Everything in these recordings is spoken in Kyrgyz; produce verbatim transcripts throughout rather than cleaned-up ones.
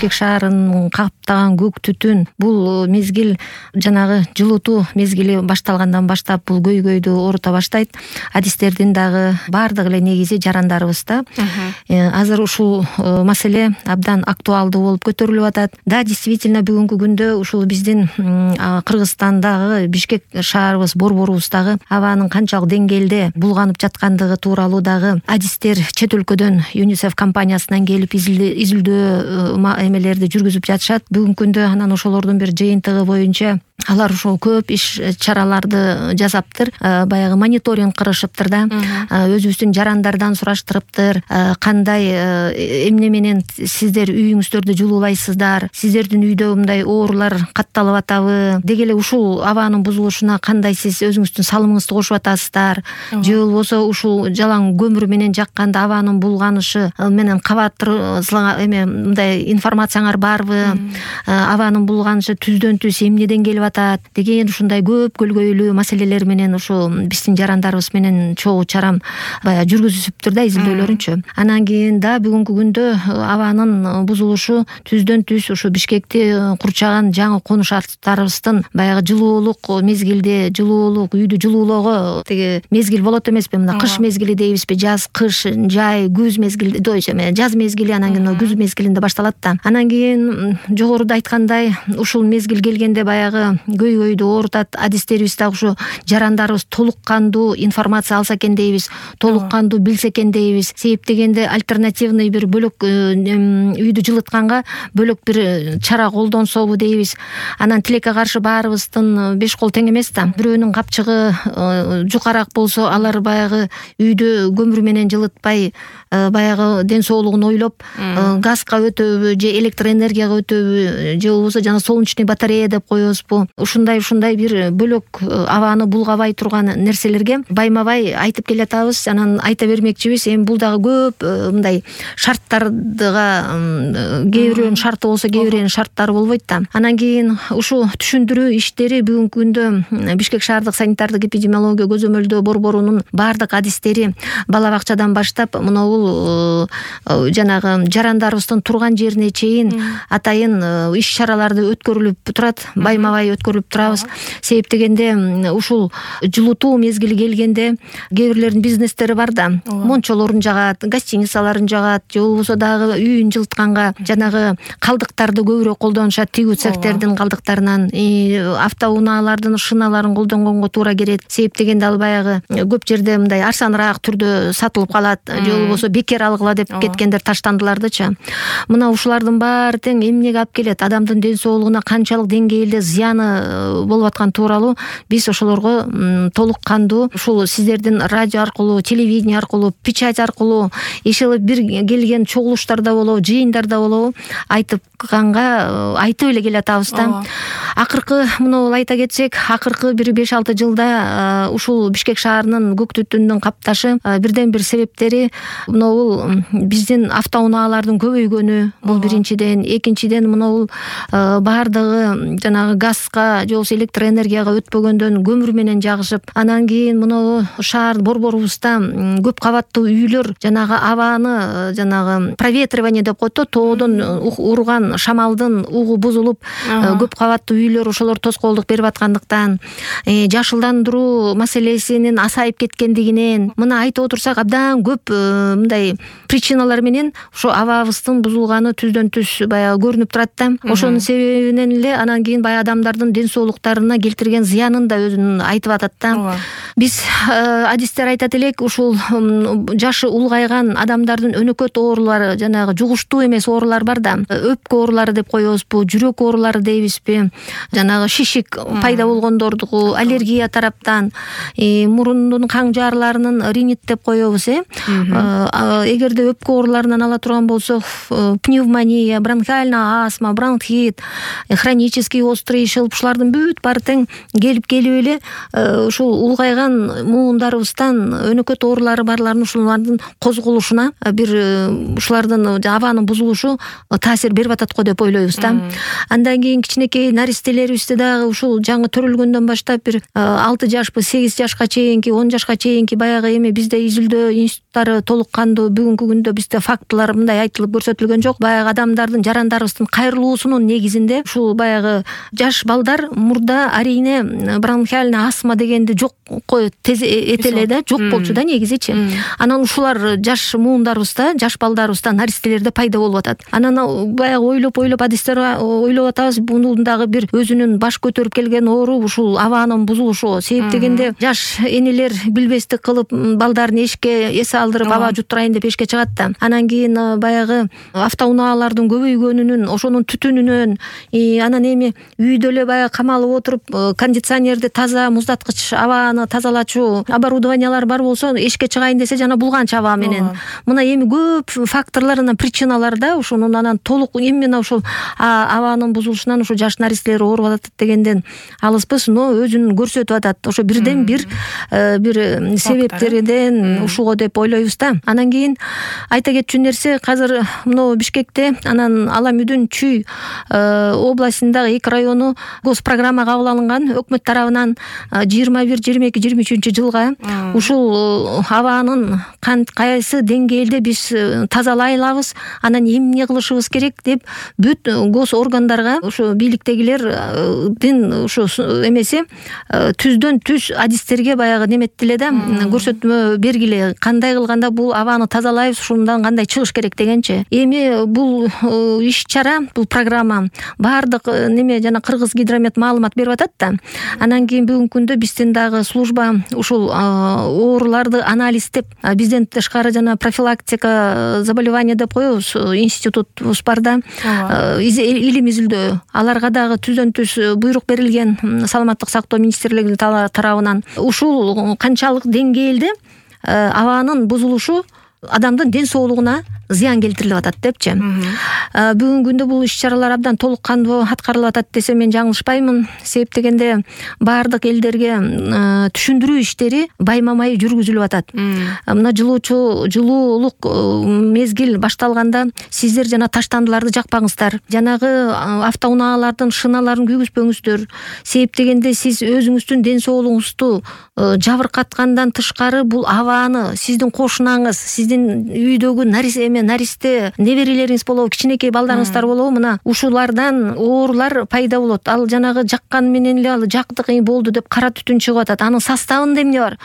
Бишкек шаарын каптаган көк түтүн бул мезгил жанагы жылытуу мезгили башталгандан баштап бул көйгөйдү оорута баштайт. Адистердин дагы баардыгы эле негизи жарандарыбызда. Азыр ушул маселе абдан актуалдуу болуп көтөрүлүп атат. Да, действительно бүгүнкү күндө ушул биздин Кыргызстандагы Бишкек шаарыбыз борборубуздагы абанын канчалык деңгээлде булганып жаткандыгы тууралуу дагы адистер чет өлкөдөн ЮНИСЕФ компаниясынан келип изилдөө эмелерди жүргүзүп жатышат. Бүгүнкү күндө анан ошолордун бир жыйынтыгы боюнча алар ошол көп иш чараларды жасаптыр, баягы мониторинг кылышыптыр да, өзүбүздүн жарандардан сураштырыптыр, кандай эмне менен сиздер үйүңүздөрдү жылуулайсыздар, сиздердин үйдө мындай оорулар катталып атабы, деги эле ушул абанын бузулушуна кандай сиз өзүңүздүн салымыңызды кошуп атасыздар, же болбосо ушул жалаң көмүр менен жакканда абанын булганышы менен кабаттуу эме мындай информацияңар барбы, абанын булганышы түздөн түз эмнеден келип атат деген ушундай көп көлгөйлүү маселелер менен ушу биздин жарандарыбыз менен чогуу чарам баягы жүргүзүшүптүр да изилдөөлөрүнчү. Анан кийин да бүгүнкү күндө абанын бузулушу түздөн түз ушу Бишкекти курчаган жаңы конушаттарыбыздын баягы жылуулук мезгилде жылуулук үйдү жылуулоого тиги мезгил болот эмеспи, мына кыш мезгили дейбизби, жаз, кыш, жай, күз мезгили, жаз мезгили, анан кийин күз мезгилинде башталат да. Анан кийин жогоруда айткандай ушул мезгил келгенде баягы көйгөйдү оорутат. Адистерибиз дагы ушу жарандарыбыз толук кандуу информация алса экен дейбиз, толук кандуу билсе экен дейбиз. Себеп дегенде альтернативный бир бөлөк үйдү жылытканга бөлөк бир чара колдонсобу дейбиз. Анан тилекке каршы баарыбыздын беш кол тең эмес да. Бирөөнүн капчыгы жукараак болсо алар баягы үйдү көмүр менен жылытпай баягы ден соолугун ойлоп газга өтөбү же электр энергияга өтөбү же болбосо жана солнечный батарея деп коебузбу, ушундай ушундай бир бөлөк абаны булгабай турган нерселерге байма-бай айтып келатабыз. Анан айта бермекчибиз, эми бул дагы көп мындай шарттардыга кээ бирөөнүн шарты болсо кээ бирөөнүн шарттары болбойт да. Анан кийин ушу түшүндүрүү иштери бүгүнкү күндө Бишкек шаардык санитардык эпидемиология көзөмөлдөө борборунун баардык адистери бала бакчадан баштап мынабул жанагы жарандарыбыздын турган жерине чейин атайын иш чараларды өткөрүлүп турат, байма-бай өткөрүлүп турабыз. Себеп дегенде ушул жылытуу мезгили келгенде кээ бирлердин бизнестери бар да, мончолорун жагат, гостиницаларын жагат, же болбосо дагы үйүн жылытканга жанагы калдыктарды көбүрөөк колдонушат, тигүү цехтердин калдыктарынан, автоунаалардын шиналарын колдонгонго туура келет. Себеп дегенде ал баягы көп жерде мындай арзаныраак түрдө сатылып калат, же болбосо бекер алгыла деп кеткендер таштандылардычы. Мына ушулардын баары тең эмнеге алып келет, адамдын ден соолугуна канчалык деңгээлде зыяны болуп аткан тууралуу биз ошолорго толук кандуу ушул сиздердин радио аркылуу, телевидение аркылуу, печать аркылуу, иши бир келген чогулуштарда болобу, жыйындарда болобу айтканга айтып эле келатабыз да. Акыркы муну айта кетсек, акыркы бир беш алты жылда ушул Бишкек шаарынын көк түтүндүн капташы бирден бир себептери мынабул биздин автоунаалардын көбөйгөнү, бул биринчиден. Экинчиден мынабул баардыгы жанагы газга же болбосо электр энергияга өтпөгөндөн көмүр менен жагышып, анан кийин мынабу шаар борборубузда көп кабаттуу үйлөр жанагы абаны жанагы проветривание деп коет да, тоодон урган шамалдын угу бузулуп, көп кабаттуу үйлөр ошолор тоскоолдук берип аткандыктан, жашылдандыруу маселесинин асайып кеткендигинен, мына айтып отурсак абдан көп мындай причиналар менен ошо абабыздын бузулганы түздөн түз баягы көрүнүп турат да. Ошонун себебинен эле анан кийин баягы адамдардын ден соолуктарына келтирген зыянын да өзүн айтып атат да. Биз адистер айтат элек, ушул жашы улгайган адамдардын өнөкөт оорулары, жанагы жугуштуу эмес оорулар бар да, өпкө оорулары деп коебузбу, жүрөк оорулары дейбизби, жанагы шишик пайда болгондордугу, аллергия тараптан, мурундун каң жаарларынын ринит деп коебуз. Эгерде өпкө ооруларынан ала турган болсок, пневмония, бронхиальная астма, бронхит, хронический острый шылп, ушулардын бүт баары тең келип келип эле ушул улгайган муундарыбыздан өнөкөт оорулары барларын ушулардын козголушуна бир ушулардын абанын бузулушу таасир берип атат го деп ойлойбуз да. Андан кийин кичинекей наристелерибизди дагы ушул жаңы төрөлгөндөн баштап бир алты жашпы, сегиз жашка чейинки, он жашка чейинки баягы эми бизде изилдөө институттары толук кандуу бүгүнкү күндө бизде фактылар мындай айтылып көрсөтүлгөн жок. Баягы адам адамдардын, жарандарыбыздын кайрылуусунун негизинде ушул баягы жаш балдар мурда арине бронхиальный астма дегенди жок тез эте эле да, жок болчу да негизичи. Анан ушулар жаш муундарыбызда, жаш балдарыбызда, наристелерде пайда болуп атат. Анан баягы ойлоп ойлоп адистер ойлоп атабыз, бунун дагы бир өзүнүн баш көтөрүп келген оору ушул абанын бузулушу. Себеп дегенде жаш энелер билбестик кылып балдарын эшикке эс алдырып аба жуттурайын деп эшикке чыгат да. Анан кийин баягы автоунаалардын көбөйгөнүнөн, ошонун түтүнүнөн, анан эми үйдө эле баягы камалып отуруп кондиционерди таза, муздаткыч абаны тазалачу оборудованиялар бар болсо, эшикке чыгайын десе жана булганч аба менен. Мына эми көп факторлор, анан причиналар да ушунун анан толук именно ушул абанын бузулушунан ушу жаш наристелер ооруп атат дегенден алыспыз, но өзүн көрсөтүп атат. Ошо бирден бир бир себептерден ушуго деп ойлойбуз да. Анан кийин айта кетчү нерсе, азыр мына Бишкекте, анан Аламүдүн Чүй областындагы эки району госпрограмма кабыл алынган өкмөт тарабынан жыйырма бир жыйырма эки жыйырма үчүнчү жылга ушул абанын кайсы деңгээлде биз тазалай алабыз, анан эмне кылышыбыз керек деп бүт гос органдарга ушу бийликтегилердин ушу эмеси түздөн түз адистерге баягы неметтиле да, көрсөтмө бергиле, кандай кылганда бул абаны тазалайбыз, ушундан кандай чыгыш керек дегенчи. Эми бул иш-чара, бул программа баардык неме жана Кыргыз гидромет маалымат берип атат да. Анан кийин бүгүнкү күндө биздин дагы служба ушул ооруларды анализдеп, бизден тышкары жана профилактика заболевания деп коебуз, институтубуз бар да, илим изилдөө. Аларга дагы түздөн түз буйрук берилген саламаттык сактоо министрлиги тарабынан. Ушул канчалык деңгээлде абанын бузулушу адамдын ден соолугуна зыян келтирилип атат депчи. Бүгүнкү күндө бул иш-чаралар абдан толук кандуу аткарылып атат десе мен жаңылышпаймын. Себеп дегенде баардык элдерге түшүндүрүү иштери байма-бай жүргүзүлүп атат. Мына жылуучу жылуулук мезгил башталганда сиздер жана таштандыларды жакпаңыздар. Жанагы автоунаалардын шыналарын күйгүзпөңүздөр. Себеп дегенде сиз өзүңүздүн ден соолугуңузду жабыркаткандан тышкары бул абаны сиздин кошунаңыз, сиздин үйдөгү наристе наристе неберелериңиз болобу, кичинекей балдарыңыздар болобу, мына ушулардан оорулар пайда болот. Ал жанагы жаккан менен эле ал жактык болду деп кара түтүн чыгып атат. Анын составында эмне бар?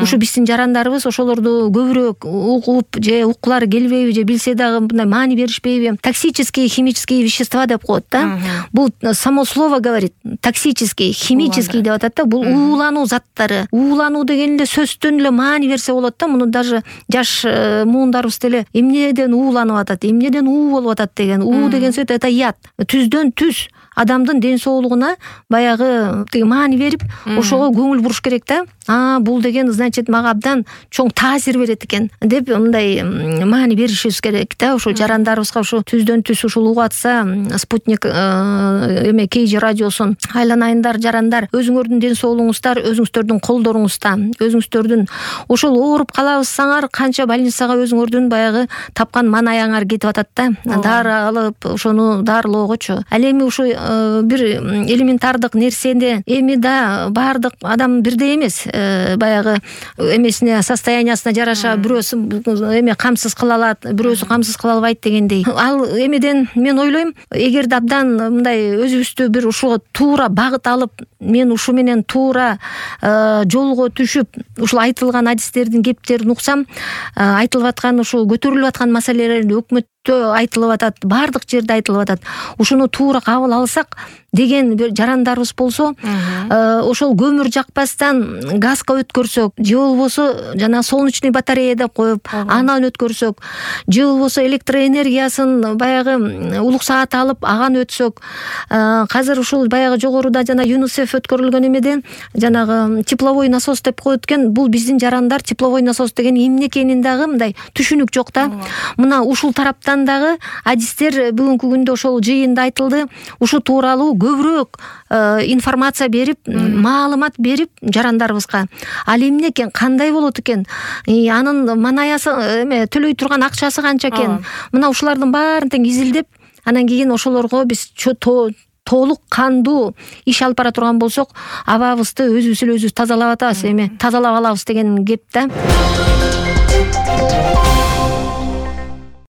Ушу биздин жарандарыбыз ошолорду көбүрөөк угуп же уккулары келбейби, же билсе дагы мындай маани беришпейби? Токсические химические вещества деп коет да. Бул само слово говорит, токсический, химический деп атат да. Бул уулануу заттары. Уулануу деген эле сөздөн эле маани берсе болот да. Муну даже жаш муундарыбыз деле эмнеден ууланып атат, эмнеден уу болуп атат деген. уу деген сөз это яд. Түздөн түз адамдын ден соолугуна баягы маани берип, ошого көңүл буруш керек да. А, бул деген значит мага абдан чоң таасир берет экен деп мындай маани беришибиз керек да. Ошо жарандарыбызга ушу түздөн түз ушул угуп атса, спутник эме кей же радиосун айланайындар жарандар, өзүңөрдүн ден соолугуңуздар өзүңүздөрдүн колдоруңузда, өзүңүздөрдүн ошол ооруп калабызсаңар канча больницага өзүңөрдүн баягы тапкан манаяңар кетип атат да. Дары алып, ошону дарылоогочу. Ал эми ушу бир элементардык нерсени эми да баардык адам бирдей эмес. Баягы эмесине, состояниясына жараша бирөөсү эме камсыз кыла алат, бирөөсү камсыз кыла албайт дегендей. Ал эмеден мен ойлойм, эгерде абдан мындай өзүбүздү бир ушуга туура багыт алып, мен ушу менен туура жолго түшүп, ушул айтылган адистердин кептерин уксам, айтылып аткан ушул көтөрүлүп аткан маселелер өкмөттө айтылып атат, баардык жерде айтылып атат. Ушуну туура кабыл алсак деген бир жарандарыбыз болсо, ошол көмүр жакпастан газга өткөрсөк, же болбосо жана солнечный батарея деп коюп, анан өткөрсөк, же болбосо электроэнергиясын баягы улук саат алып, аган өтсөк, азыр ушул баягы жогоруда жана ЮНИСЕФ өткөрүлгөн эмеден жанагы тепловой насос деп коет экен. Бул биздин жарандар тепловой насос деген эмне экенин дагы мындай түшүнүк жок да. Мына ушул тараптан дагы адистер бүгүнкү күндө ошол жыйында айтылды. Ушу тууралуу көбүрөөк информация берип, маалымат берип жарандарыбызга. Ал эмне экен, кандай болот экен, анын манаясы эме төлөй турган акчасы канча экен. Мына ушулардын баарын тең изилдеп, анан кийин ошолорго биз толук кандуу иш алып бара турган болсок, абабызды өзүбүз эле өзүбүз тазалап атабыз, эми тазалап алабыз деген кеп да.